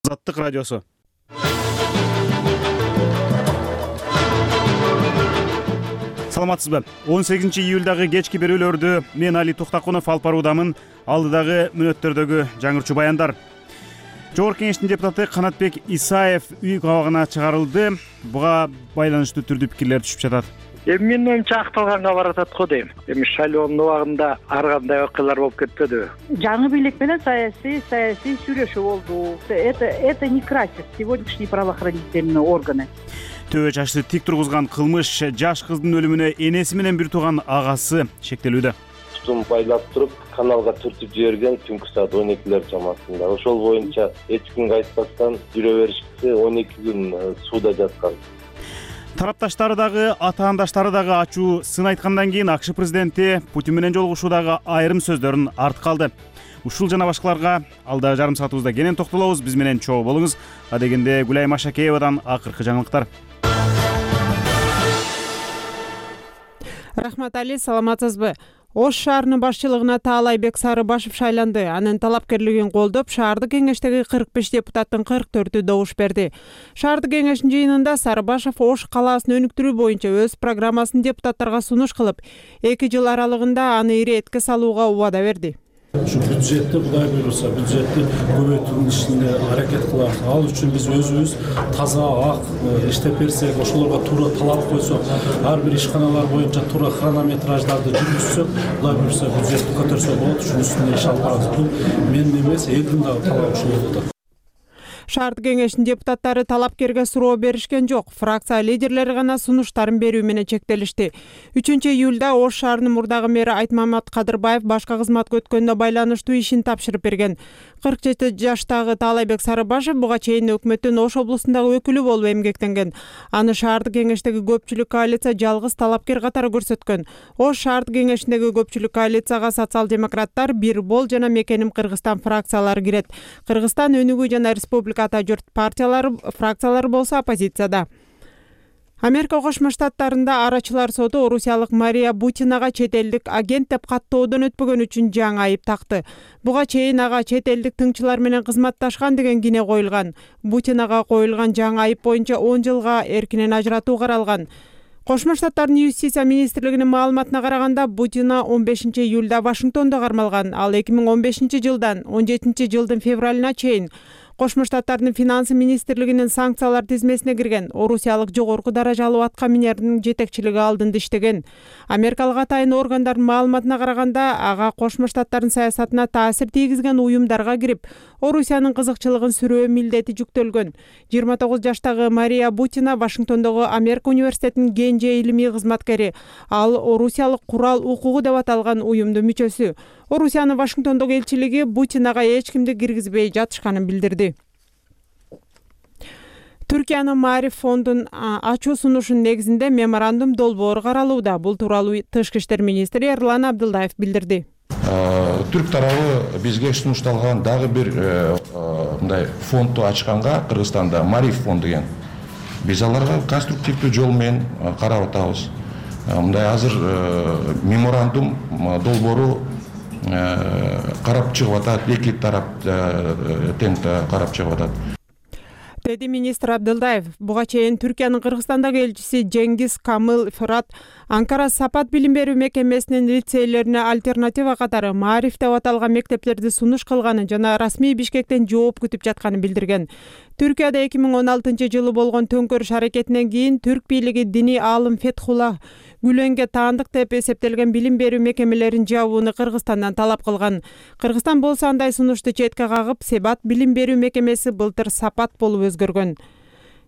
Азаттык радиосу. Саламатсызбы? 18-июлдагы кечки берүүлөрдү мен Али Токтакунов алып баруудамын. Алдыдагы мүнөттөрдөгү жаңырчу баяндар. Жогорку кеңештин депутаты Канатбек Исаев үй кабагына чыгарылды. Буга байланыштуу түрдүү пикирлер түшүп жатат. Менин оюмча акталганга баратат го дейм. Шайлоонун убагында ар кандай окуялар болуп кетпедиби? Жаңы бийлик менен саясий сүйлөшүү болду. Это не красит сегодняшние правоохранительные органы. Төбө чачты тик тургузган кылмыш жаш кыздын өлүмүнө энеси менен бир тууган агасы шектелүүдө. Тутум байлап туруп каналга түртүп жиберген түнкү саат 12-лер чамасында. Ошол боюнча эч кимге айтпастан жүрө беришти. 12 күн сууда жаткан. Тарапташтары дагы, атаандаштары дагы ачуу сын айткандан кийин АКШ президенти Путин менен жолугушуудагы айрым сөздөрүн артка алды. Ушул жана башкаларга алда жарым саатыбызда кенен токтолобуз. Биз менен чогуу болуңуз. Адегенде Гүлай Машакеевадан акыркы жаңылыктар. Рахмат Али, саламатсызбы? Ош шаарынын башчылыгына Таалайбек Сарыбашев шайланды. Анын талапкерлигин колдоп, шаардык кеңештеги 45 депутаттын 44-ü добуш берди. Шаардык кеңештин жыйынында Сарыбашев Ош калаасын өнүктүрүү боюнча өз программасын депутаттарга сунуш кылып, 2 жыл аралыгында аны иретке салууга убада берди. Şu büdjetти Кудай буйруса, büdjetти көбөйтүүнүн ишине аракет кылабыз. Ал үчүн биз өзүбүз таза ак иштеп берсек, ошолорго туура талап койсок, ар бир ишканалар боюнча туура хронометраждарды жүргүзсөк, Кудай буйруса бюджетти көтөрсөк болот. Ушунун үстүнө иш алып барабыз. Бул менин эмес, элдин дагы талабы ушул болот. Шаардык кеңештин депутаттары талапкерге суроо беришкен жок. Фракция лидерлери гана сунуштарын берүү менен чектелишти. 3-июлда Ош шаарынын мурдагы мэри Айтмамат Кадырбаев башка кызматка өткөнгө байланыштуу ишин тапшырып берген. 47 жаштагы Таалайбек Сарыбашев буга чейин өкмөттүн Ош облусундагы өкүлү болуп эмгектенген. Аны шаардык кеңештеги көпчүлүк коалиция жалгыз талапкер катары көрсөткөн. Ош шаардык кеңешиндеги көпчүлүк коалицияга социал-демократтар, Бир Бол жана Мекеним Кыргызстан фракциялары кирет. Кыргызстан өнүгүү жана республика ата журт фракциялары болсо оппозицияда. Америка Кошмо Штаттарында арачылар соту орусиялык Мария Бутинага чет элдик агент деп каттоодон өтпөгөн үчүн жаңы айып такты. Буга чейин ага чет элдик тыңчылар менен кызматташкан деген кине коюлган. Бутинага коюлган жаңы айып боюнча 10 жылга эркинен ажыратуу каралган. Кошмо Штаттардын юстиция министрлигинин маалыматына караганда, Бутина 15-июлда Вашингтондо кармалган. Ал 2015-жылдан 17-жылдын февралына чейин Кошмо Штаттардын финансы министрлигинин санкциялар тизмесине кирген. Орусиялык жогорку даражалуу атка минердин жетекчилиги алдында иштеген. Америкалык атайын органдардын маалыматына караганда, ага Кошмо Штаттардын саясатына таасир тийгизген уюмдарга кирип, Орусиянын кызыкчылыгын сүрөө милдети жүктөлгөн. 29 жаштагы Мария Бутина Вашингтондогу Америка университетинин Генже илимий кызматкери. Ал Орусиялык курал укугу деп аталган уюмдун мүчөсү. Орусиянын Вашингтондогу элчилиги Бутинага эч кимди киргизбей жатышканын билдирди. Түркиянын Мариф фондун ачуу сунушунун негизинде меморандум долбоору каралууда. Бул тууралуу Тышкы иштер министри Эрлан Абдылдаев билдирди. Түрк тарабы бизге сунушталган дагы бир мындай фондду ачканга Кыргызстанда Мариф фонд деген. Биз аларга конструктивдүү жол менен карап атабыз. Мындай азыр меморандум долбоору карап чыгып атат, эки тарап тең карап чыгып атат. Деди министр Абдылдаев. Буга чейин Түркиянын Кыргызстандагы элчиси Жеңгиз Камыл Фырат Анкара Сапат билим берүү мекемесинин лицейлерине альтернатива катары Мариф деп аталган мектептерди сунуш кылганын жана расмий Бишкектен жооп күтүп жатканын билдирген. Түркияда 2016-жылы болгон төңкөрүш аракетинен кийин түрк бийлиги диний аалым Фетхулла Гүленге таандык деп эсептелген билим берүү мекемелерин жабууну Кыргызстандан талап кылган. Кыргызстан болсо андай сунушту четке кагып, Себат билим берүү мекемеси былтыр Сапат болуп өзгөргөн.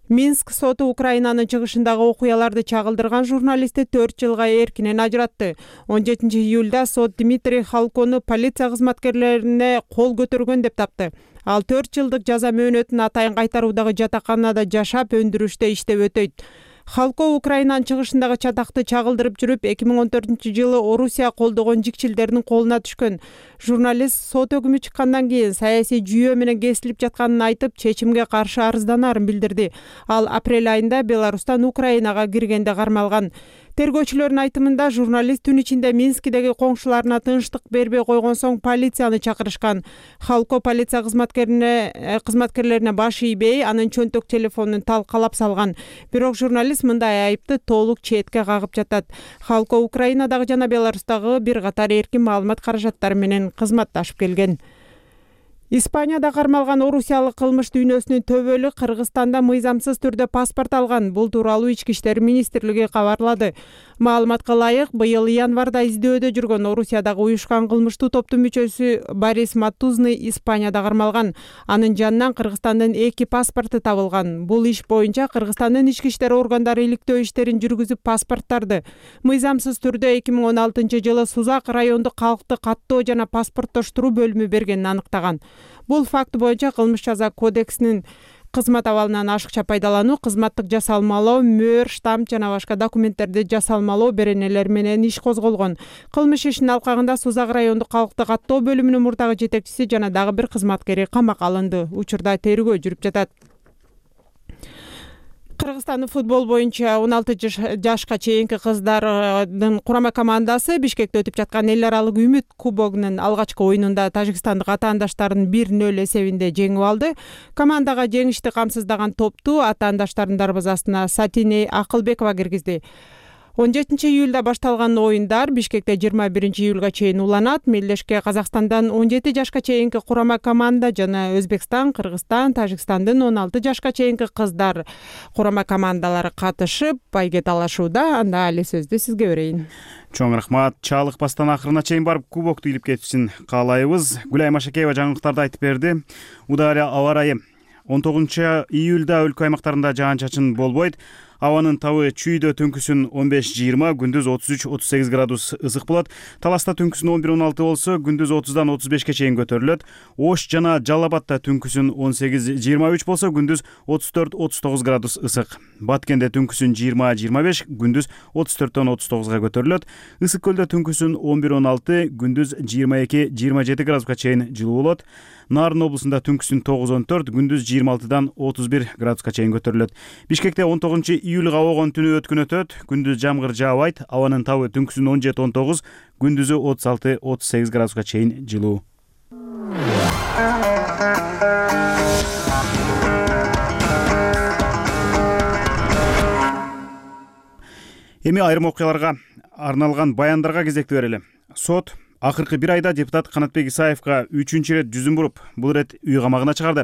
Минск соту Украинанын чыгышындагы окуяларды чагылдырган журналистти 4 жылга эркинен ажыратты. 17-июлда сот Дмитрий Халкону полиция кызматкерлерине кол көтөргөн деп тапты. Ал 4 жылдык жаза мөөнөтүн атайын кайтаруудагы жатаканада жашап, өндүрүштө иштеп өтөйт. Халко Украинанын чыгышындагы чатакты чагылдырып жүрүп, 2014-жылы Орусия колдогон жикчилдердин колуна түшкөн. Журналист сот өкүмү чыккандан кийин саясий жүйө менен кесилип жатканын айтып, чечимге каршы арызданарын билдирди. Ал апрель айында Беларустан Украинага киргенде кармалган. Тергөөчүлөрдүн айтымында журналист түн ичинде Минскидеги коңшуларына тынчтык бербей койгон соң полицияны чакырышкан. Халко полиция кызматкерлерине баш ийбей, анын чөнтөк телефонун талкалап салган. Бирок журналист мындай айыпты толук четке кагып жатат. Халко Украинадагы жана Беларустагы бир катар эркин маалымат каражаттары менен кызматташып келген. Испанияда кармалган орусиялык кылмыш дүйнөсүнүн төбөлү Кыргызстанда мыйзамсыз түрдө паспорт алган. Бул тууралуу Ички иштер министрлиги кабарлады. Маалыматка ылайык, быйыл январда издөөдө жүргөн Орусиядагы уюшкан кылмыштуу топтун мүчөсү Борис Матузный Испанияда кармалган. Анын жанынан Кыргызстандын 2 паспорту табылган. Бул иш боюнча Кыргызстандын ички иштер органдары иликтөө иштерин жүргүзүп паспорттарды мыйзамсыз түрдө 2016-жылы Сузак райондук калкты каттоо жана паспорттоштуруу бөлүмү бергенин аныктаган. Бул факт боюнча кылмыш жаза кодексинин кызмат абалынан ашыкча пайдалануу, кызматтык жасалмалоо, мөөр, штамп жана башка документтерди жасалмалоо беренелери менен иш козголгон. Кылмыш ишинин алкагында Сузак райондук калкты каттоо бөлүмүнүн мурдагы жетекчиси жана дагы бир кызматкери камакка алынды. Учурда тергөө жүрүп жатат. Кыргызстандын футбол боюнча 16 жашка чейинки кыздардын курама командасы Бишкекте өтүп жаткан эл аралык Үмүт кубогунун алгачкы оюнунда тажикстандык атаандаштарын 1-0 эсебинде жеңип алды. Командага жеңишти камсыздаган топту атаандаштардын дарбазасына Сатиней Акылбекова киргизди. 17 июлда башталган оюндар Бишкекте 21 июлга чейин уланат. Мелдешке Казакстандан 17 жашка чейинки курама команда жана Өзбекстан, Кыргызстан, Тажикстандын 16 жашка чейинки кыздар курама командалары катышып, байге талашууда. Анда али сөздү сизге берейин. Чоң рахмат. Чалыкпастан акырына чейин барып кубокту илип кетишин каалайбыз. Гүлай Машакеева жаңылыктарды айтып берди. Удаары аба ырайы 19 июлда өлкө аймактарында жаан-чачын болбойт. Абанын табы чүйдө түнкүсүн 15-20, күндүз 33-38 градус ысык болот. Таласта түнкүсүн 11-16 болсо, күндүз 30-дан 35-ке чейин көтөрүлөт. Ош жана Жалал Абадта түнкүсүн 18-23 болсо, күндүз 34-39 градус ысык. Баткенде түнкүсүн 20-25, күндүз 34-төн 39-га көтөрүлөт. Ысык көлдө түнкүсүн 11-16, күндүз 22-27 градуска чейин жылуу болот. Нарын облусунда түнкүсүн 9-14, күндүз 26-дан 31 градуска чейин көтөрүлөт. Бишкекте 19 июлга огон түнү өткөн өтөт, күндүз жамгыр жаабайт, абанын табы түнкүсүн 17-19, күндүзү 36-38 градуска чейин жылуу. Эми айрым окуяларга арналган баяндарга кезекти берели. Сот акыркы бир айда депутат Канатбек Исаевга 3-чү ирет жүзүн буруп, бул ирет үй камагына чыгарды.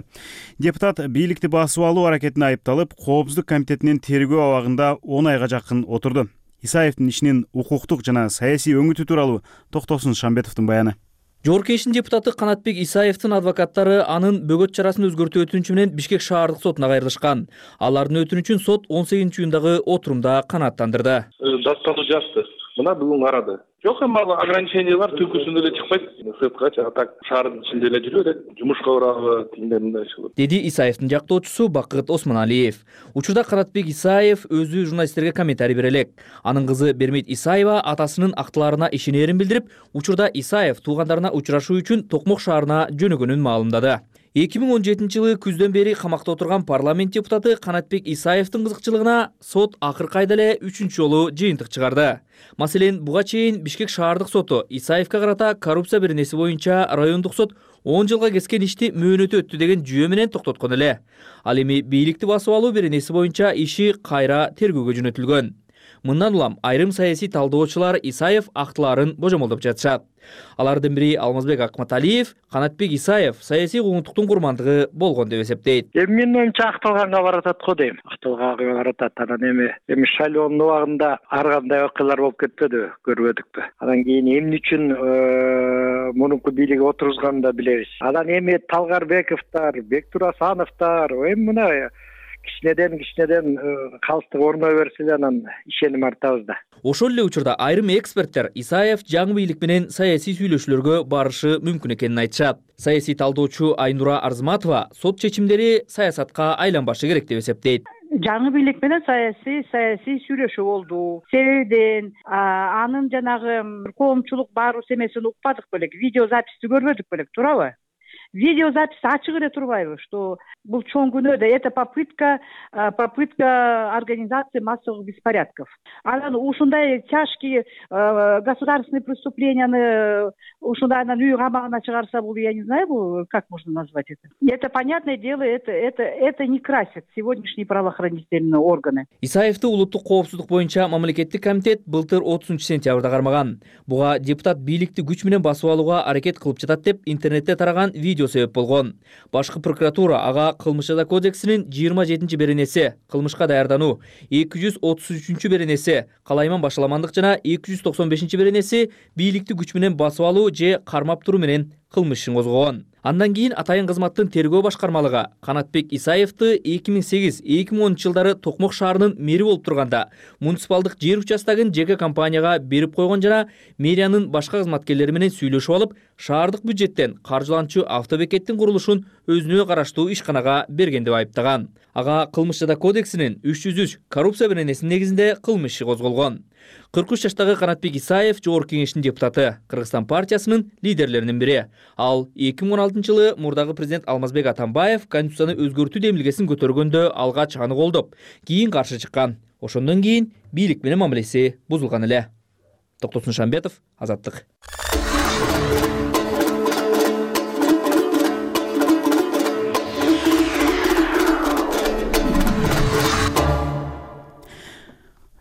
Депутат бийликти басып алуу аракетине айыпталып, Коопсуздук комитетинин тергөө абагында 10 айга жакын отурду. Исаевдин ишинин укуктук жана саясий өңүтү тууралуу Токтосун Шамбетовдун баяны. Жогорку Кеңештин депутаты Канатбек Исаевдин адвокаттары анын бөгөт чарасын өзгөртүү өтүнүчү менен Бишкек шаардык сотуна кайрылышкан. Алардын өтүнүчүн сот 18 июндагы отурумда канааттандырды. Даттануу жазды. Мына бүгүн карады. Жок, эми ал ограничение бар, түнкүсүн эле чыкпайт. Сырткачы так шаардын ичинде эле жүрөт, жумушка барабы, тигиндей мындай болот. Деди Исаевдин жактоочусу Бакыт Осмоналиев. Учурда Канатбек Исаев өзү журналисттерге комментарий бере элек. Анын кызы Бермейт Исаева атасынын актыларына ишенерин билдирип, учурда Исаев туугандарына учурашуу үчүн Токмок шаарына жөнөгөнүн маалымдады. 2017 жылы күздөн бери камакта отурган парламент депутаты Канатбек Исаевдин кызыкчылыгына сот акыркы айда эле 3-чү жолу жыйынтык чыгарды. Маселен, буга чейин Бишкек шаардык соту Исаевге карата коррупция беренеси боюнча райондук сот 10 жылга кескен ишти мөөнөтү өттү деген жүйө менен токтоткон эле. Ал эми бийликти басып алуу беренеси боюнча иши кайра тергөөгө жөнөтүлгөн. Мындан улам айрым саясий талдоочулар Исаев актыларын божомолдоп жатышат. Алардын бири Алмазбек Акматалиев Канатбек Исаев саясий куугунтуктун курмандыгы болгон деп эсептейт. Менин оюмча акталганга баратат го дейм. Акталганга баратат. Анан эми Шайлоонун убагында ар кандай окуялар болуп кетпедиби, көрбөдүкпү. Анан кийин эмне үчүн мурунку бийлиги отургузганын да билебиз. Анан эми Талгарбековдор, Бектур Асановдор, эми мына кичинеден калыстык орной берсе эле анан ишеним артабыз да. Ошол эле учурда айрым эксперттер Исаев жаңы бийлик менен саясий сүйлөшүүлөргө барышы мүмкүн экенин айтышат. Саясий талдоочу Айнура Арзматова сот чечимдери саясатка айланбашы керек деп эсептейт. Жаңы бийлик менен саясий сүйлөшүү болду. Себебиден анын жанагы коомчулук баарыбыз эмесин укпадык белек, видеозаписти көрбөдүк белек, туурабы? Видеозапись ачык эле турбайбы, что бул чоң күнөө, это попытка организации массовых беспорядков. Анан ушундай тяжкие государственные преступленияны ушундай анан үй камагына чыгарса, бул я не знаю, как можно назвать это. Это понятное дело, это не красит сегодняшние правоохранительные органы. Исаевди улуттук коопсуздук боюнча мамлекеттик комитет былтыр 30-сентябрда кармаган. Буга депутат бийликти күч менен басып алууга аракет кылып жатат деп интернетте тараган видео себеп болгон. Башкы прокуратура ага кылмыш жаза кодексинин 27 беренеси кылмышка даярдануу, 233 беренеси калайман башаламандык жана 295 беренеси бийликти күч менен басып алуу же кармап туруу менен кылмыш ишин козгогон. Андан кийин атайын кызматтын тергөө башкармалыгы Канатбек Исаевди 2008-2010 жылдары Токмок шаарынын мэри болуп турганда муниципалдык жер участогун жеке компанияга берип койгон жана мэриянын башка кызматкерлери менен сүйлөшүп алып, шаардык бюджеттен каржыланчу автобекеттин курулушун өзүнө караштуу ишканага берген деп айыптаган. Ага кылмыш жаза кодексинин 303 коррупция беренесинин негизинде кылмыш иши козголгон. 43 жаштагы Канатбек Исаев Жогорку Кеңештин депутаты, Кыргызстан партиясынын лидерлеринин бири. Ал 2016 жылы мурдагы президент Алмазбек Атамбаев конституцияны өзгөртүү демилгесин көтөргөндө алгач аны колдоп, кийин каршы чыккан. Ошондон кийин бийлик менен мамилеси бузулган эле. Токтосун Шамбетов, Азаттык.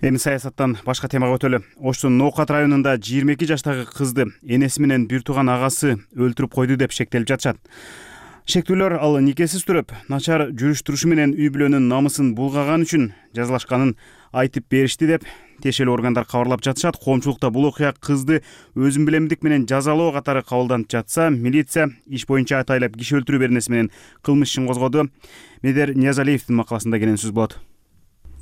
Эми саясаттан башка темага өтөлү. Оштун Ноокат районунда 22 жаштагы кызды энеси менен бир тууган агасы өлтүрүп койду деп шектелип жатышат. Шектүүлөр ал никесиз туруп, начар жүрүш-турушу менен үй бүлөнүн намысын булгаган үчүн жазалашканын айтып беришти деп тиешелүү органдар кабарлап жатышат. Коомчулукта бул окуя кызды өзүн билемдик менен жазалоо катары кабылданып жатса, милиция иш боюнча атайлап киши өлтүрүү беренеси менен кылмыш ишин козгоду. Медер Ниязалиевдин макаласында келген сөз болот.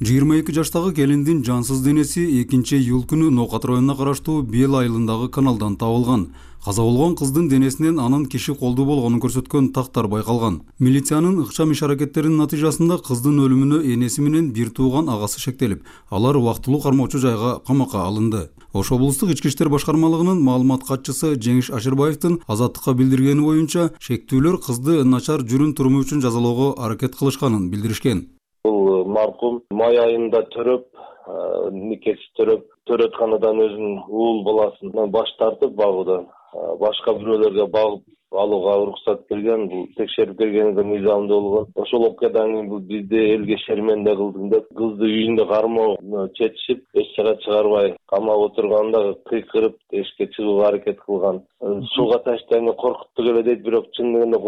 22 жаштагы келиндин жансыз денеси 2-июль күнү Ноокат районуна караштуу Бел айылындагы каналдан табылган. Каза болгон кыздын денесинен анын киши колдуу болгонун көрсөткөн тактар байкалган. Милициянын ыкчам иш-аракеттеринин натыйжасында кыздын өлүмүнө энеси менен бир тууган агасы шектелип, алар убактылуу кармоочу жайга камакка алынды. Ош облустук ички иштер башкармалыгынын маалымат катчысы Жеңиш Ашырбаевдин Азаттыкка билдиргени боюнча, шектүүлөр кызды начар жүрүм туруму үчүн жазалоого аракет кылышканын билдиришкен. Бул маркум май айында төрөп, никеси төрөтканадан өзүнүн уул баласын баш тартып багуудан башка бирөөлөргө багып алууга уруксат берген. Бул текшерип бергенде мыйзамдуу болгон. Ошол окуядан кийин бул бизди элге шерменде кылдың деп кызды үйүндө кармоо чечишип, эч жака чыгарбай камап отурганда кыйкырып эшикке чыгууга аракет кылган. Сууга таштайны коркуттук эле дейт, бирок чындыгында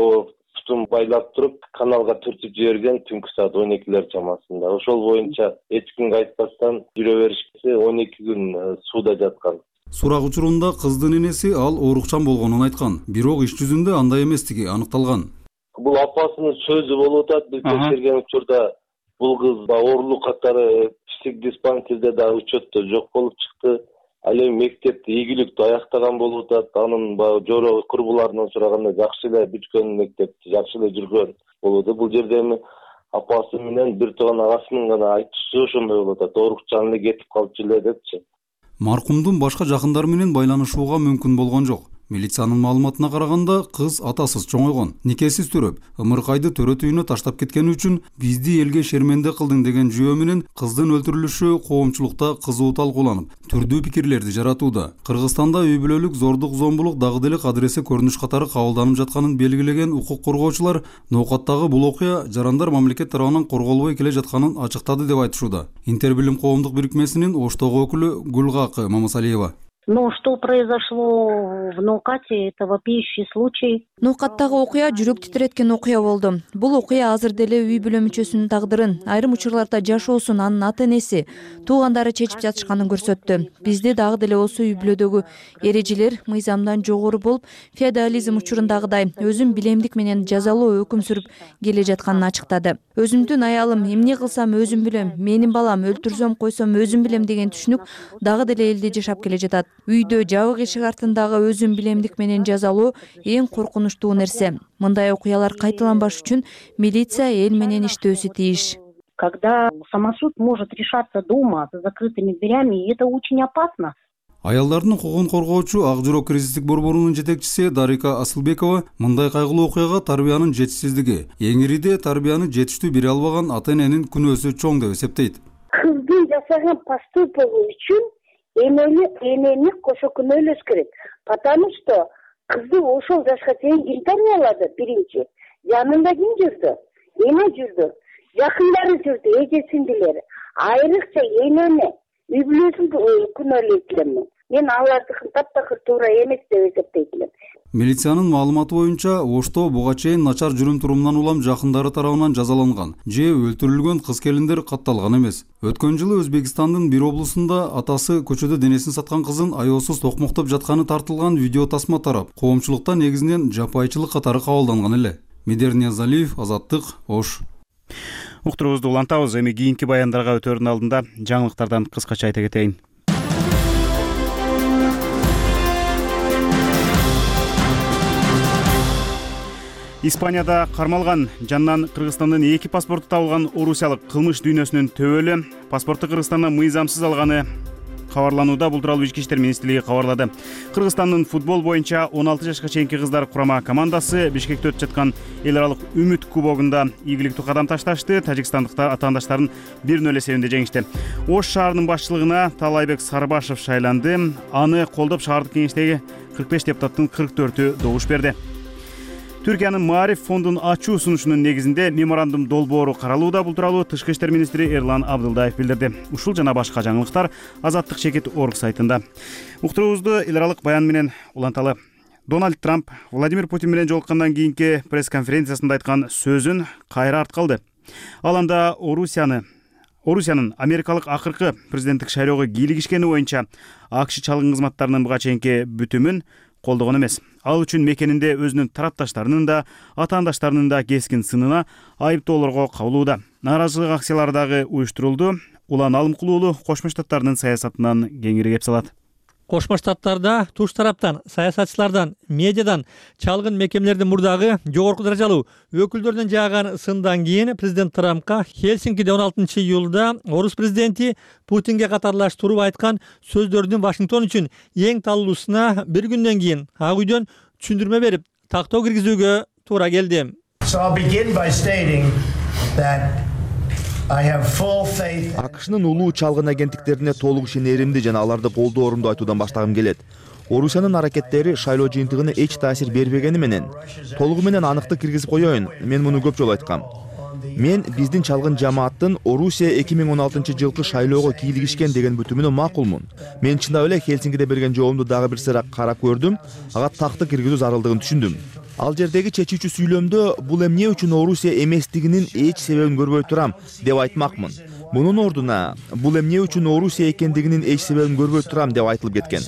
тутум байлап туруп, каналга түртүп жиберген түнкү саат 12-лер чамасында. Ошол боюнча эч кимге айтпастан жүрө беришкенде 12 күн сууда жаткан. Сурак учурунда кыздын энеси ал оорукчан болгонун айткан, бирок иш жүзүндө андай эместиги аныкталган. Бул апасынын сөзү болуп атат. Биз текшерген учурда бул кыз оорулук катары психдиспансерде да учетто жок болуп чыкты. Ал эми мектепти ийгиликтүү аяктаган болуп атат. Анын жоро курбуларынан сураганда жакшы эле бүткөн, мектепти жакшы эле жүргөн болууда. Бул жерде эми апасы менен бир тууган агасынын гана айтуусу ошондой болуп атат. Оорукчан эле кетип калчу эле депчи. Маркумдун башка жакындары менен байланышууга мүмкүн болгон жок. Милициянын маалыматына караганда, кыз атасыз чоңойгон, никесиз төрөп, ымыркайды төрөт үйүнө таштап кеткени үчүн бизди элге шерменде кылдың деген жүйө менен кыздын өлтүрүлүшү коомчулукта кызуу талкууланып, түрдүү пикирлерди жаратууда. Кыргызстанда үй бүлөлүк зордук, зомбулук дагы деле адреси көрүнүш катары кабылданып жатканын белгилеген укук коргоочулар Ноокаттагы бул окуя жарандар мамлекет тарабынан корголбой келе жатканын ачыктады деп айтышууда. Интербилим коомдук бирикмесинин Оштогу өкүлү Гулгакы Мамасалиева. Но что произошло в Ноокате, это вопиющий случай. Ноокаттагы окуя жүрөк титиреткен окуя болду. Бул окуя азыр деле үй бүлө мүчөсүнүн тагдырын, айрым учурларда жашоосун анын ата-энеси, туугандары чечип жатышканын көрсөттү. Бизде дагы деле осы үй бүлөдөгү эрежелер мыйзамдан жогору болуп, феодализм учурундагыдай өзүн билемдик менен жазалоо өкүм сүрүп келе жатканын ачыктады. Өзүмдүн аялым эмне кылсам өзүм билем, менин балам өлтүрсөм койсом өзүм билем деген түшүнүк дагы деле элде жашап келе жатат. Үйдө жабык эшик артындагы өзүн билемдик менен жазалоо эң коркунучтуу нерсе. Мындай окуялар кайталанбаш үчүн милиция эл менен иштөөсү тийиш. Когда самосуд может решаться дома за закрытыми дверями, это очень опасно. Аялдардын укугун коргоочу Ак Жүрөк кризистик борборунун жетекчиси Дарика Асылбекова мындай кайгылуу окуяга тарбиянын жетишсиздиги, эң ириде тарбияны жетиштүү бере албаган ата-эненин күнөөсү чоң деп эсептейт. Кыздын жасаган поступогу үчүн энени кошо күнөөлөш керек. Потому что кызды ошол жашка чейин ким тарбиялады? Биринчи, жанында ким жүрдү? Эне жүрдү, жакындары жүрдү, эжесиндилери. Айрыкча энени, үй бүлөсүн күнөөлөйт элем. Мен алардыкын таптакыр туура эмес деп эсептейт элем. Милициянын маалыматы боюнча, Ошто буга чейин начар жүрүм турумунан улам жакындары тарабынан жазаланган же өлтүрүлгөн кыз-келиндер катталган эмес. Өткөн жылы Өзбекстандын бир облусунда атасы көчөдө денесин саткан кызын аяосуз токмоктоп жатканы тартылган видео тасма тарап, коомчулукта негизинен жапайчылык катары кабылданган эле. Медер Ниязалиев, Азаттык, Ош. Уктурубузду улантабыз. Эми кийинки баяндарга өтөрдүн алдында жаңылыктардан кыскача айта кетейин. Испанияда кармалган жанынан Кыргызстандын 2 паспорту табылган орусиялык кылмыш дүйнөсүнүн төбөлү паспортту Кыргызстандан мыйзамсыз алганы кабарланууда. Бул тууралуу Ички иштер министрлиги кабарлады. Кыргызстандын футбол боюнча 16 жашка чейинки кыздар курама командасы Бишкекте өтүп жаткан эл аралык үмүт кубогунда ийгиликтүү кадам ташташты. Тажикстандыктар атаандаштарын 1-0 эсебинде жеңишти. Ош шаарынын башчылыгына Талайбек Сарбашев шайланды. Аны колдоп шаардык кеңештеги 45 депутаттын 44-ү добуш берди. Түркиянын Маариф фондун ачуу сунушунун негизинде меморандум долбоору каралууда. Бул тууралуу Тышкы иштер министри Эрлан Абдылдаев билдирди. Ушул жана башка жаңылыктар Азаттык чекит орг сайтында. Уктурубузду эл аралык баян менен уланталы. Дональд Трамп Владимир Путин менен жолуккандан кийинки пресс-конференциясында айткан сөзүн кайра арткалды. Ал анда Орусиянын америкалык акыркы президенттик шайлоого кийлигишкени боюнча АКШ чалгын кызматтарынын буга чейинки бүтүмүн колдогон эмес. Ал үчүн мекенинде өзүнүн тарапташтарынын да, атаандаштарынын да кескин сынына айыптоолорго кабылууда. Нааразычылык акциялары дагы уюштурулду. Улан Алымкулуу уулу Кошмо Штаттардын саясатынан кеңири кеп салат. Кошмо Штаттарда туш тараптан, саясатчылардан, медиадан, чалгын мекемелердин мурдагы жогорку даражалуу өкүлдөрдөн жааган сындан кийин президент Трампка Хельсинкиде 16 июлда орус президенти Путинге катарлаштырып айткан сөздөрдүн Вашингтон үчүн эң талуусуна bir күндөн кийин Ак үйдөн түшүндүрмө берип, тактоо киргизүүгө туура келди. АКШнын улуу чалгын агенттиктерине толук ишенеримди жана аларды колдоорумду айтуудан баштагым келет. Орусиянын аракеттери шайлоо жыйынтыгына эч таасир бербегени менен толугу менен аныкты киргизип коеюн. Мен муну көп жолу айткам. Мен биздин чалгын жамааттын Орусия 2016 жылкы шайлоого кийлигишкен деген бүтүмүнө макулмун. Мен чындап эле Хельсинкиде берген жообумду дагы бир сыйра карап көрдүм. Ага такты киргизүү зарылдыгын түшүндүм. Ал жердеги чечүүчү сүйлөмдө бул эмне үчүн Орусия эместигинин эч себебин көрбөй турам деп айтмакмын. Мунун ордуна бул эмне үчүн Орусия экендигинин эч себебин көрбөй турам деп айтылып кеткен.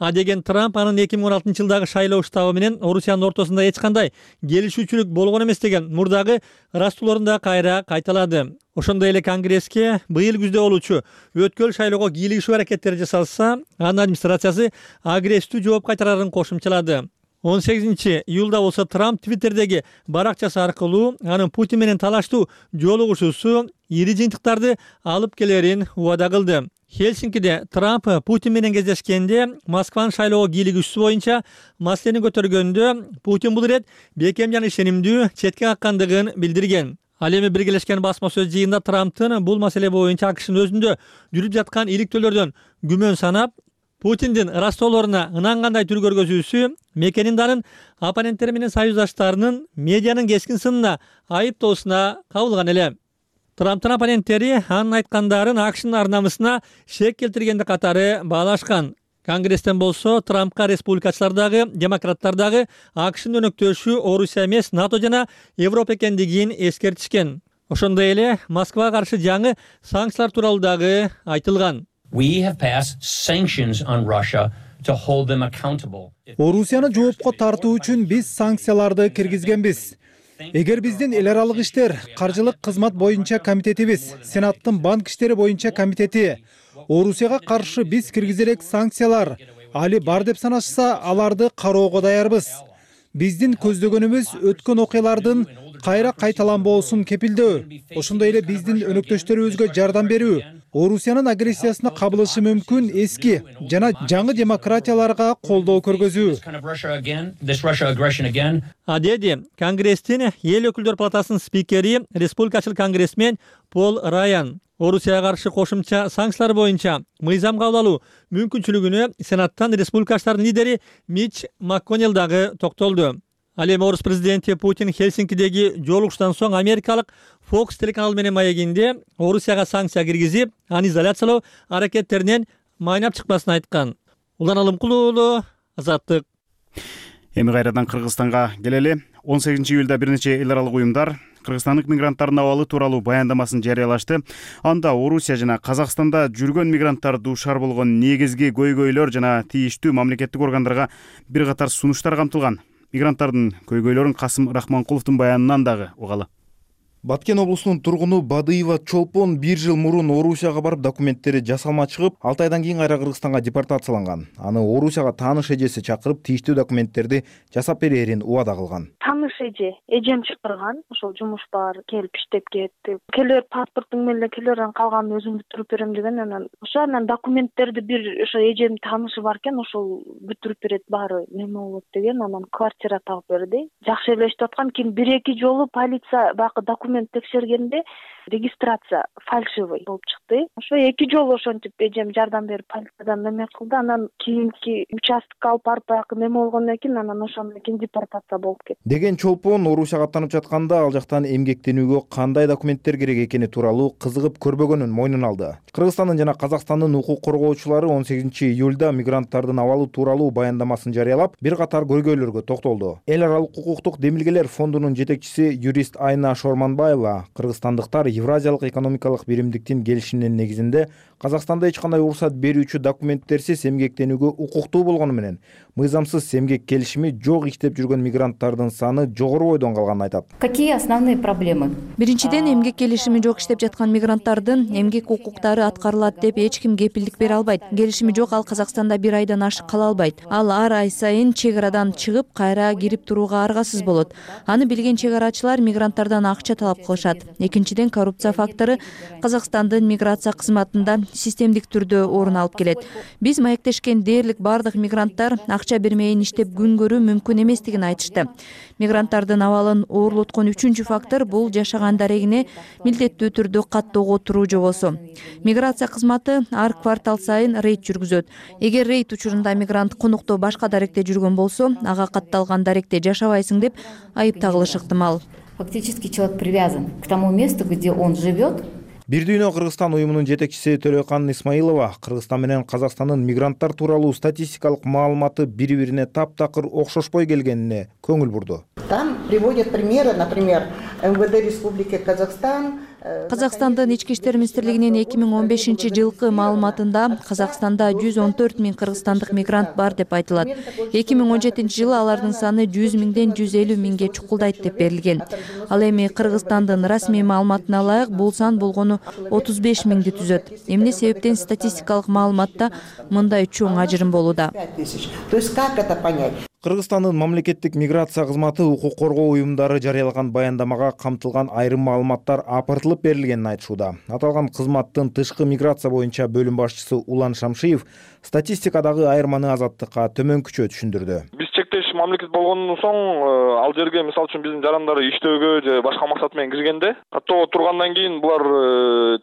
А деген Трамп анын 2016 жылдагы шайлоо штабы менен Орусиянын ортосунда эч кандай келишүүчүлүк болгон эмес деген мурдагы ырастууларын да кайра кайталады. Ошондой эле Конгресске быйыл күздө болуучу өткөл шайлоого кийлигишүү аракеттери жасалса, анын администрациясы агрессивдүү жооп кайтарарын кошумчалады. 18 июлда болсо Трамп Твиттердеги баракчасы аркылуу анын Путин менен талаштуу жолугушуусу ири жыйынтыктарды алып келерин убада кылды. Хельсинкиде Трамп Путин менен кездешкенде Москванын шайлоого кийлигүүсү боюнча маселени көтөргөндө Путин бул ирет бекем жана ишенимдүү четке каккандыгын билдирген. Ал эми биргелешкен басма сөз жыйында Трамптын бул маселе боюнча АКШнын өзүндө жүрүп жаткан иликтөөлөрдөн күмөн санап, Путиндин ырастоолоруна ынангандай түр көргөзүүсү мекенинданын оппоненттери менен союздаштарынын медианын кескин сынына айыптоосуна кабылган эле. Трамптын оппоненттери анын айткандарын АКШнын ар намысына шек келтиргенди катары баалашкан. Конгресстен болсо Трампка республикачылар дагы, демократтар дагы АКШнын өнөктөшү Орусия эмес, НАТО жана Европа экендигин эскертишкен. Ошондой эле Москвага каршы жаңы санкциялар тууралуу дагы айтылган. Орусияны жоопко тартуу үчүн биз санкцияларды киргизгенбиз. Эгер биздин эл аралык иштер, каржылык кызмат боюнча комитетибиз, Сенаттын банк иштери боюнча комитети Орусияга каршы биз киргизерек санкциялар али бар деп санашса, аларды кароого даярбыз. Биздин көздөгөнүбүз өткөн окуялардын кайра кайталанбоосун кепилдөө, ошондой эле биздин өнөктөштөрүбүзгө жардам берүү, Орусиянын агрессиясына кабылышы мүмкүн эски жана жаңы демократияларга колдоо көргөзүү. Деди Конгресстин эл өкүлдөр палатасынын спикери, республикачыл конгрессмен Пол Райан Орусияга каршы кошумча санкциялар боюнча мыйзам кабыл алуу мүмкүнчүлүгүнө Сенаттан республикачылардын лидери Мич МакКоннелл дагы токтолду. Ал эми орус президенти Путин Хельсинкидеги жолугушуудан соң америкалык Fox телеканалы менен маегинде Орусияга санкция киргизип, аны изоляциялоо аракеттеринен майнап чыкпасын айткан. Улан Алымкул уулу, Азаттык. Эми кайрадан Кыргызстанга келели. 18 июлда бир нече эл аралык уюмдар кыргызстандык мигранттардын абалы тууралуу баяндамасын жарыялашты. Анда Орусия жана Казакстанда жүргөн мигранттар дуушар болгон негизги көйгөйлөр жана тийиштүү мамлекеттик органдарга бир катар сунуштар камтылган. Мигранттардын көйгөйлөрүн Касым Рахманкуловдун баянынан дагы угалы. Баткен облусунун тургуну Бадыева Чолпон 1 жыл мурун Орусияга барып документтери жасалма чыгып, 6 айдан кийин кайра Кыргызстанга депортацияланган. Аны Орусияга тааныш эжеси чакырып, тийиштүү документтерди жасап берерин убада кылган. Тааныш эжем чакырган, ошол жумуш бар, келип иштеп кетти. Келер паспортуң менен келер, калганын өзүм бүтүрүп берем деген, анан документтерди бир ошо эжем таанышы бар экен, ошол бүтүрүп берет, баары неме болот деген, анан квартира таап берди. Жакшы эле иштеп аткан, кийин 1-2 жолу полиция бакы документ текшергенде регистрация фальшивый болуп чыкты. Ошо 2 жолу ошентип эжем жардам берип полициядан неме кылды. Анан кийинки участокко алып барып баягы неме болгондон кийин анан ошондон кийин депортация болуп кетти. Деген Чолпон Орусияга аттанып жатканда ал жактан эмгектенүүгө кандай документтер керек экени тууралуу кызыгып көрбөгөнүн мойнуна алды. Кыргызстандын жана Казакстандын укук коргоочулары 18 июлда мигранттардын абалы тууралуу баяндамасын жарыялап, бир катар көйгөйлөргө токтолду. Эл аралык укуктук демилгелер фондунун жетекчиси юрист Айна Шорманбаева кыргызстандыктар Евразиялык экономикалык биримдиктин келишиминин негизинде Казакстанда эч кандай уруксат берүүчү документтерсиз эмгектенүүгө укуктуу болгону менен мыйзамсыз эмгек келишими жок иштеп жүргөн мигранттардын саны жогору бойдон калганын айтат. Какие основные проблемы? Биринчиден, эмгек келишими жок иштеп жаткан мигранттардын эмгек укуктары аткарылат деп эч ким кепилдик бере албайт. Келишими жок, ал Казакстанда 1 айдан ашык кала албайт. Ал ар ай сайын чек арадан чыгып, кайра кирип турууга аргасыз болот. Аны билген чек арачылар мигранттардан акча талап кылышат. Экинчиден, коррупция фактору Казакстандын миграция кызматында системдик түрдө орун алып келет. Биз маектешкен дээрлик бардык мигранттар акча бермейин иштеп күн көрүү мүмкүн эместигин айтышты. Мигранттардын абалын оорлоткон үчүнчү фактор бул жашаган дарегине милдеттүү түрдө каттоого туруу жобосу. Миграция кызматы ар квартал сайын рейд жүргүзөт. Эгер рейд учурунда мигрант конукто башка даректе жүргөн болсо, ага катталган даректе жашабайсың деп айып тагылышы ыктымал. Фактически человек привязан к тому месту, где он живет. Бир дүйнө Кыргызстан уюмунун жетекчиси Төлөкан Исмаилова Кыргызстан менен Казакстандын мигранттар тууралуу статистикалык маалыматы бири-бирине таптакыр окшошпой келгенине көңүл бурду. Там приводят примеры, например, МВД Республики Казахстан. Казакстандын ички иштер министрлигинин 2015-жылкы маалыматында Казакстанда 114 000 кыргызстандык мигрант бар деп айтылат. 2017-жылы алардын саны 100 000ден 150 000ге чукулдайт деп берилген. Ал эми Кыргызстандын расмий маалыматына ылайык бул сан болгону 35 000ди түзөт. Эмне себептен статистикалык маалыматта мындай чоң ажырым болууда? То есть как это понять? Кыргызстандын мамлекеттик миграция кызматы укук коргоо уюмдары жарыялаган баяндамага камтылган айрым маалыматтар апартылып берилгенин айтышууда. Аталган кызматтын тышкы миграция боюнча бөлүм башчысы Улан Шамшиев статистикадагы айырманы Азаттыкка төмөнкүчө түшүндүрдү. Биз чектеш мамлекет болгондон соң ал жерге мисалы үчүн биздин жарандары иштөөгө же башка максат менен киргенде каттоого тургандан кийин булар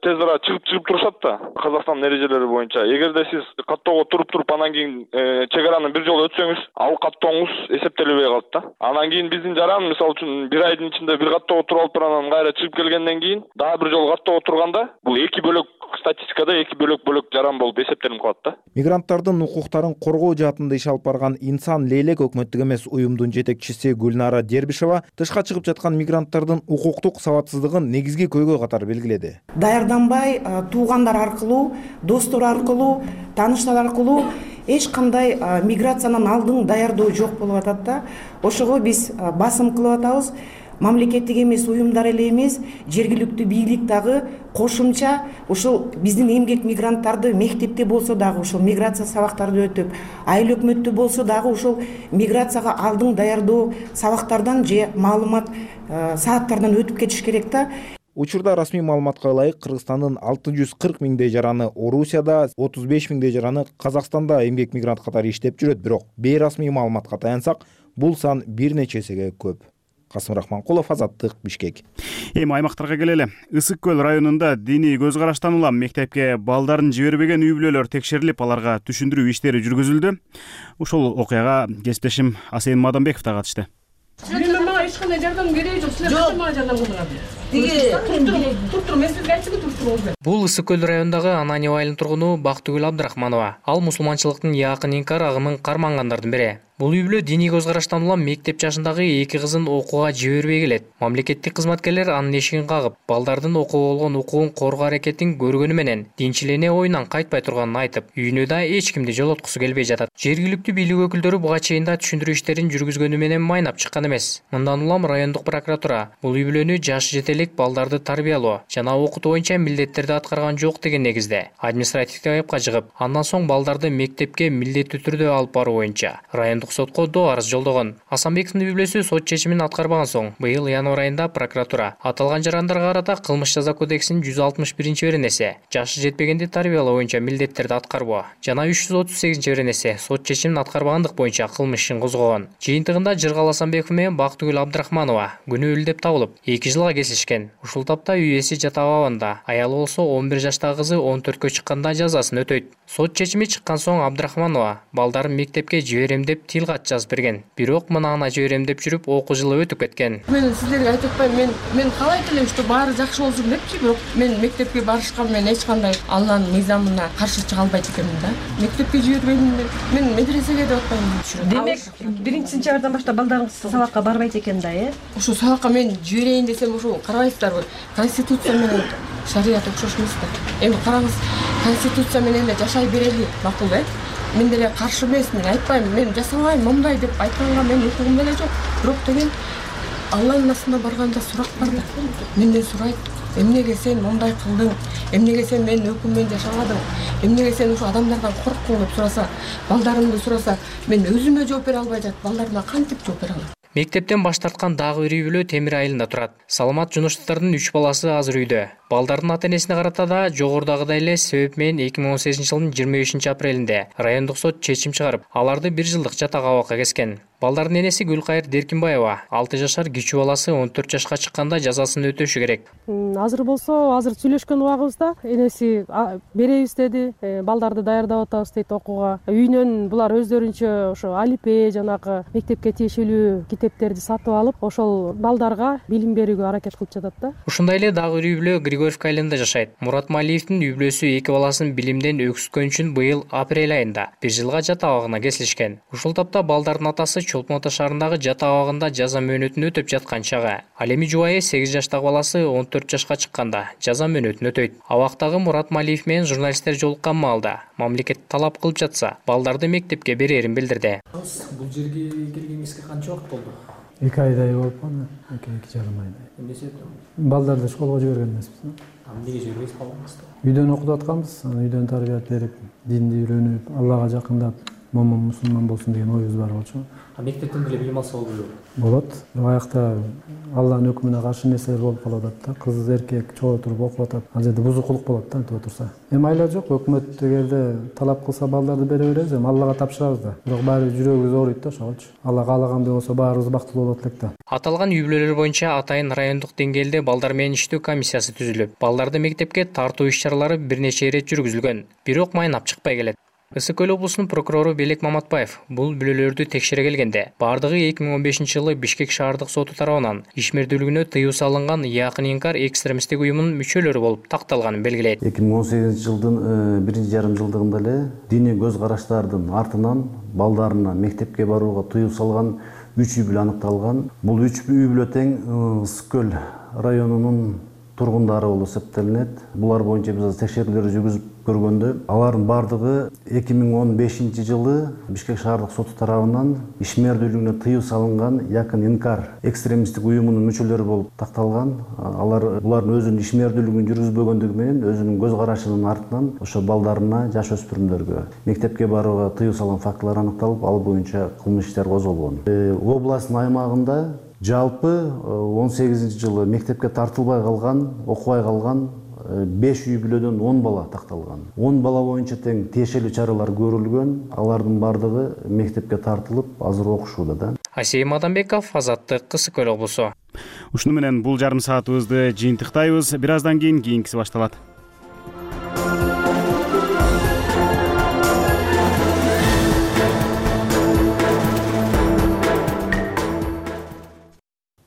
тез ара чыгып турушат да Казакстан эрежелери боюнча. Эгерде сиз каттоого туруп анан кийин чек араны бир жолу өтсөңүз, ал каттооңуз эсептелбей калат да. Анан кийин биздин жаран мисалы үчүн 1 айдын ичинде бир каттоого туруп алып анан кайра чыгып келгенден кийин дагы бир жолу каттоого турганда бул эки бөлөк статистикада эки бөлөк жаран болуп эсептелип калат да. Мигранттардын укуктарын коргоо жаатында иш алып барган Инсан Лейлек өкмөттүк эмес уюмдун жетекчиси Гүлнара Дербишева тышка чыгып жаткан мигранттардын укуктук сабатсыздыгын негизги көйгөй катары белгиледи. Даярданбай, туугандар аркылуу, достор аркылуу, тааныштар аркылуу эч кандай миграциянын алдын даярдоо жок болуп атат да. Ошого биз басым кылып атабыз. Мамлекеттик эмес уюмдар эле эмес, жергиликтүү бийлик дагы кошумча ушул биздин эмгек мигранттарды мектепте болсо дагы ушул миграция сабактарды өтүп, айыл өкмөттү болсо дагы ушул миграцияга алдын даярдоо сабактардан же маалымат сааттардан өтүп кетиш керек да. Учурда расмий маалыматка ылайык Кыргызстандын 640 миңдей жараны Орусияда, 35 миңдей жараны Казакстанда эмгек мигрант катары иштеп жүрөт. Бирок бейрасмий маалыматка таянсак, бул сан бир нече эсеге көп. Касым Рахманкулов, Азаттык, Бишкек. Эми аймактарга келели. Ысык көл районунда диний көз караштан улам мектепке балдарын жибербеген үй бүлөлөр текшерилип, аларга түшүндүрүү иштери жүргүзүлдү. Ушул окуяга кесиптешим Асен Мадамбеков да катышты. Мага эч кандай жардам кереги жок. Силер кантип мага жардам кылдыңар? Туруп мен сизге айтчымын, туруп туруңуз. Бул Ысык көл районундагы Ананьев айылынын тургуну Бактыгүл Абдрахманова. Ал мусулманчылыктын якын инкар агымын кармангандардын бири. Бул үй бүлө диний көз караштан улам мектеп жашындагы эки кызын окууга жибербей келет. Мамлекеттик кызматкерлер анын эшигин кагып, балдардын окууга болгон укугун коргоо аракетин көргөнү менен динчилене оюнан кайтпай турганын айтып, үйүнө да эч кимди жолоткусу келбей жатат. Жергиликтүү бийлик өкүлдөрү буга чейин да түшүндүрүү иштерин жүргүзгөнү менен майнап чыккан эмес. Мындан улам райондук прокуратура бул үй бүлөнү жашы жете элек балдарды тарбиялоо жана окутуу боюнча милдеттерди аткарган жок деген негизде административдик айыпка жыгып, андан соң балдарды мектепке милдеттүү түрдө алып баруу боюнча райондук сотко доо арыз жолдогон. Асанбековдун үй бүлөсү сот чечимин аткарбаган соң, быйыл январь айында прокуратура аталган жарандарга карата кылмыш жаза кодексинин 161-беренеси жашы жетпегенди тарбиялоо боюнча милдеттерди аткарбоо жана 338-беренеси сот чечимин аткарбагандык боюнча кылмыш ишин козгогон. Жыйынтыгында Жыргал Асанбеков менен Бактыгүл Абдрахманова күнөөлүү деп табылып, 2 жылга кесилишкен. Ушул тапта үй ээси жата абабында, аялы болсо 11 жаштагы кызы 14кө чыкканда жазасын өтөйт. Сот чечими чыккан соң Абдрахманова балдарын мектепке жиберем деп тил кат жазып берген. Бирок мынаны жиберем деп жүрүп окуу жылы өтүп кеткен. Мен сиздерге айтып атпайм, мен каалайт элем, что баары жакшы болсун депчи, бирок мен мектепке барышкан мен эч кандай Алланын мыйзамына каршы чыга албайт экенмин да. Мектепке жибербейм, мен медресеге деп атпаймын. Демек, 1-сентябрдан баштап балдарыңыз сабакка барбайт экен да, Ошо сабакка мен жиберейин десем, ошо карабайсыздарбы? Конституция менен шарият окшош эмес да. Эми караңыз, конституция менен эле жашай берели, макул, Мен деле каршы эмесмин, айтпайм, мен жасабайм, мындай деп айтканга мен укугум эле жок. Бирок деген Алланын астына барганда сурак бар да. Менден сурайт, эмнеге сен мындай кылдың, эмнеге сен менин өкүммен жашабадың, эмнеге сен ушу адамдардан корктуң деп сураса, балдарымды сураса, мен өзүмө жооп бере албай жатып, балдарыма кантип жооп бере алам? Мектептен баш тарткан дагы бир үй бүлө Темир айылында турат. Саламат Жунуштардын 3 баласы азыр үйдө. Балдардын ата-энесине карата да жогорудагыдай эле себеп менен 2018-жылдын 25-апрелинде райондук сот чечим чыгарып, аларды 1 жылдык жатак абакка кескен. Балдардын энеси Гүлкайыр Деркинбаева 6 жашар кичүү баласы 14 жашка чыкканда жазасын өтөшү керек. Азыр болсо, азыр сүйлөшкөн убагыбызда энеси беребиз деди, балдарды даярдап атабыз дейт окууга. Үйүнөн булар өздөрүнчө ошо алипе жанагы мектепке тиешелүү китептерди сатып алып, ошол балдарга билим берүүгө аракет кылып жатат да. Ушундай эле дагы бир үй бүлө Григорьевка айылында жашайт. Мурат Малиевдин үй бүлөсү 2 баласын билимден өксүткөн үчүн быйыл апрель айында 1 жылга жатак абагына кесилишкен. Ушул тапта балдардын атасы Чолпон Ата шаарындагы жатак абагында жаза мөөнөтүн өтөп жаткан чагы. Ал эми жубайы 8 жаштагы баласы 14 жашка чыкканда жаза мөөнөтүн өтөйт. Абактагы Мурат Малиев менен журналисттер жолуккан маалда мамлекет талап кылып жатса, балдарды мектепке берерин билдирди. Бул жерге келгениңизге канча убакыт болду? 2 айдай болуп калды, 2,5 айдай. Эмне себептен? Балдарды школго жиберген эмеспиз. Эмнеге жибербейсиз калдыңыз? Үйдөн окутуп атканбыз, үйдөн тарбият берип, динди үйрөнүп, Аллага жакындап, момун мусулман болсун деген оюбуз бар болчу. Мектептен деле билим алса болбойбу? Болот. Бирок аякта Алланын өкүмүнө каршы нерселер болуп калып атат да. Кыз эркек чогуу туруп окуп атат. Ал жерде бузукулук болот да, антип отурса. Эми айла жок, өкмөт эгерде талап кылса балдарды бере беребиз, эми Аллага тапшырабыз да. Бирок баары жүрөгүбүз ооруйт да ошолчу. Алла каалагандай болсо баарыбыз бактылуу болот элек да. Аталган үй бүлөлөр боюнча атайын райондук деңгээлде балдар менен иштөө комиссиясы түзүлүп, балдарды мектепке тартуу иш-чаралары бир нече ирет жүргүзүлгөн, бирок майнап чыкпай келет. Ысык көл облусунун прокурору Белек Маматбаев бул бүлөлөрдү текшере келгенде, бардыгы 2015-жылы Бишкек шаардык соту тарабынан ишмердүүлүгүнө тыюу салынган якын инкар экстремисттик уюмунун мүчөлөрү болуп такталганын белгилейт. 2018-жылдын 1,5 жылдыгында эле диний көз караштардын артынан балдарына мектепке барууга тыюу салган 3 үй бүлө аныкталган. Бул 3 үй бүлө тең Ысык көл районунун тургундары болуп эсептелинет. Булар боюнча биз текшерүүлөр жүргүзүп көргөндө, алардын бардыгы 2015-жылы Бишкек шаардык соту тарабынан ишмердүүлүгүнө тыюу салынган якын инкар экстремисттик уюмунун мүчөлөрү болуп такталган. Булардын өзүнүн ишмердүүлүгүн жүргүзбөгөндүгү менен өзүнүн көз карашынын артынан ошо балдарына, жаш өспүрүмдөргө мектепке барууга тыюу салган фактылар аныкталып, ал боюнча кылмыш иштер козголгон. Областтын аймагында Жалпы 18 жылы мектепке тартылбай калган, окубай калган 5 үй бүлөдөн 10 бала такталган. 10 бала боюнча тең тиешелүү чаралар көрүлгөн. Алардын бардыгы мектепке тартылып, азыр окушууда да. Асей Маданбеков, Азаттык, Кысык Көл облусу. Ушуну менен бул жарым саатыбызды жыйынтыктайбыз. Бир аздан кийин кийинкиси башталат.